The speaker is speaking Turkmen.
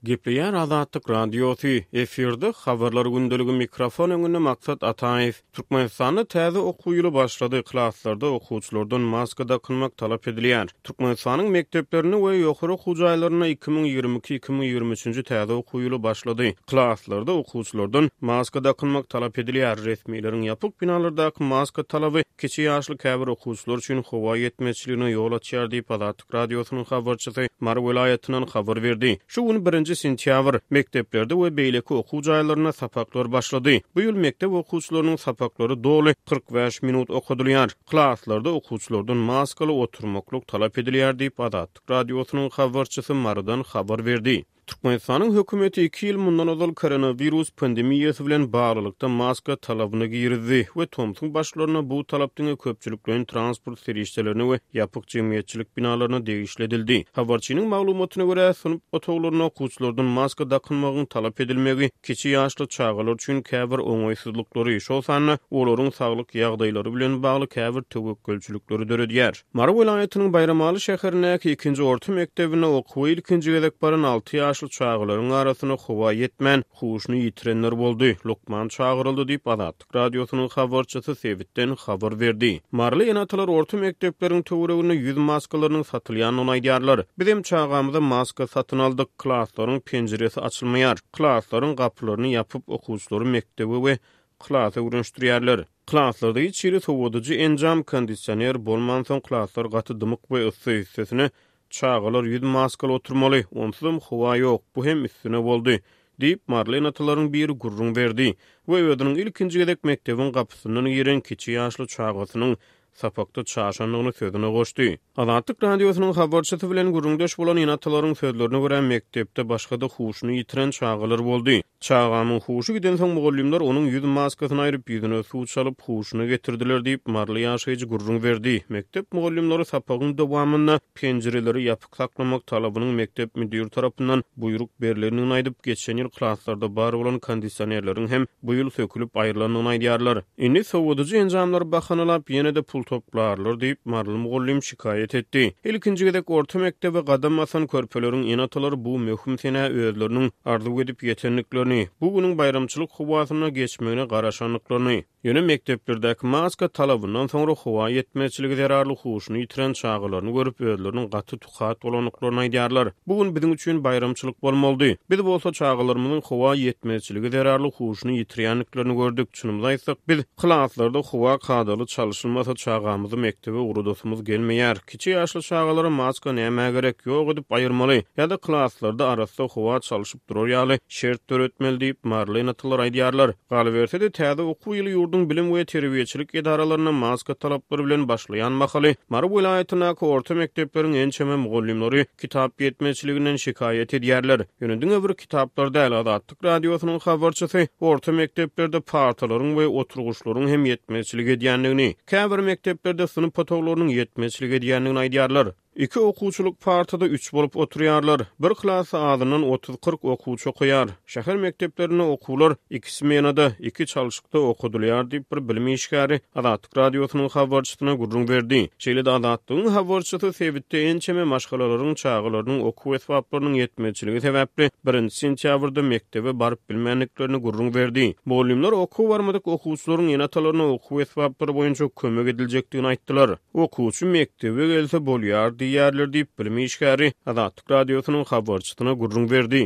Gepleýär Azatlyk Radiosy, efirde Habarlar gündeligi mikrofon öňünde Maksat Ataýew. Türkmenistanda täze okuw ýyly başlady, klaslarda okuwçylardan maska dakynmak talap edilýär. Türkmenistanyň mekdeplerinde we ýokary okuw jaýlarynda 2022, 2023-nji täze okuw ýyly başlady. Klaslarda okuwçylardan maska dakynmak talap edilýär. Resmileriň ýapyk binalardaky maska talaby kiçi ýaşly käbir okuwçylar üçin howa ýetmezçiligine ýol açýar diýip, Azatlyk Radiosynyň habarçysy Mary welaýatyndan habar berdi. Şu gün birinji sentýabr, mekdeplerde we beýleki okuw jaýlarynda sapaklar başlady. Bu ýyl mekdep okuwçylarynyň sapaklary doly 45 minut okadylýar. Klaslarda okuwçylardan maskaly oturmaklyk talap edilýär diýip, Azatlyk Radiosynyň habarçysy Marydan habar berdi. Türkmenistanyň hökümeti iki ýyl mundan ozal koronawirus pandemiýasy bilen baglylykda maska talabyny girizdi we tomsuň başlarynda bu talap diňe köpçülikleýin transport serişdelerine we ýapyk jemgyýetçilik binalaryna degişli edildi. Habarçynyň maglumatyna görä, synp otaglarynda okuwçylardan maska dakynmagyň talap edilmegi kiçi ýaşly çagalar üçin käbir oňaýsyzlyklary, şol sanda olaryň saglyk ýagdaýlary bilen bagly käbir töwekgelçilikleri döredýär. Mary welaýatynyň Baýramaly şäherindäki ikinji orta mekdebinde okuwa ilkinji gezek baran alty ýaşly çagalaryň arasynda howa ýetmän, huşuny ýitirenler boldy, lukman çagyryldy diýip, Azatlyk Radiosynyň habarçysy sebitden habar berdi. Maryly ene-atalar orta mekdepleriň töwereginde ýüz maskalarynyň satylýandygyny aýdýarlar. Bizem çagamyza maska satyn aldyk. Klaslaryň penjiresi açylmaýar. Klaslaryň gapylaryny ýapyp, okuwçylary mekdebe we klasa öwrenişdirýärler. Klaslarda hiç hili sowadyjy enjam, kondisioner bolmansoň klaslar gaty dymyk we yssy, üstesine, çagalar ýüz maskaly oturmaly, onsuzam howa ýok, bu hem üstüne boldy, diýip, maryly ene-atalaryň biri gürrüň berdi we özüniň ilkinji gezek mekdebiň gapysyndan giren kiçi ýaşly çagasynyň sapakda çaşandygyny sözüne goşdy. Azatlyk Radiosynyň habarçysy bilen gürrüňdeş bolan ene-atalaryň sözlerine görä, mekdepde başga-da huşuny ýitiren çagalar boldy. Çagamyň huşy gidensoň mugallymlar onuň ýüz maskasyny aýryp, ýüzüne suw çalyp, huşuna getirdiler diýip, maryly ýaşaýjy gürrüň berdi. Mekdep mugallymlary sapagyň dowamynda penjireleri ýapyk saklamak talabynyň mekdep müdiri tarapyndan buýruk berlendigini aýdyp, geçen ýyl klaslarda bar bolan kondisionerleriň hem bu ýyl sökülip aýrylandygyny aýdýarlar. Indi sowadyjy enjamlary bahanalap, ýene-de pul toplarlar diýip, maryly mugallym şikaýat etdi. Ilkinji gezek orta mekdebe gadam basan körpeleriň ene-atalary bu möhüm senä özleriniň arzuw edip ýetendiklerini, bu günüň baýramçylyk howasynda geçmegine garaşandyklaryny, Ýöne mekdeplerdäki maska talabyndan soňra howa ýetmezçiligi zerarly huşuny ýitiren çagalaryny görüp, özleriniň gaty tukat bolandyklaryny aýdýarlar. Bu gün biziň üçin baýramçylyk bolmalydy. Biz bolsa çagalarymyzyň howa ýetmezçiligi zerarly huşuny ýitirýändiklerini gördük. Çynymyzy aýtsak, biz klaslarda howa kadaly çalşylmasa çagamyzy mekdebe ugradasymyz gelmeýär. Kiçi ýaşly çagalara maska nämä gerek, ýok edip aýyrmaly ýa-da klaslarda arassa howa çalşyp durar ýaly şert döretmeli diýip, maryly ene-atalar aýdýarlar. Galyberse-de, täze okuw ýyly ýurduň bilim we terbiýeçilik edaralarynda maska talaplary bilen başlaýan mahaly, Mary welaýatyndaky orta mekdepleriň ençeme mugallymlary kitap ýetmezçiliginden şikaýat edýärler. Ýöne diňe bir kitaplar däl, Azatlyk Radiosynyň habarçysy orta mekdeplerde partalaryň we oturgyçlaryň hem ýetmezçilik edýändigini, käbir mekdeplerde synp otaglarynyň ýetmezçilik edýändigini aýdýarlar. Iki okuwçylyk partada üç bolup oturýarlar. Bir klasda azyndan otuz-kyrk okuwçy okaýar. Şäher mekdeplerinde okuwlar iki smenada, iki çalşykda okadylýar diýip, bir bilim işgäri Azatlyk Radiosynyň habarçysyna gürrüň berdi. Şeýle-de Azatlygyň habarçysy sebitde ençeme maşgalalaryň çagalarynyň okuw esbaplarynyň ýetmezçiligi sebäpli birinji sentýabrda mekdebe baryp bilmändiklerini gürrüň berdi. Mugallymlar okuwa barmadyk okuwçylaryň ene-atalaryna okuw esbaplary boýunça kömek ediljekdigini aýtdylar. Okuwçy mekdebe gelse bolýar diýýärler diýip, bilim işgäri Azatlyk Radiosynyň habarçysyna gürrüň berdi.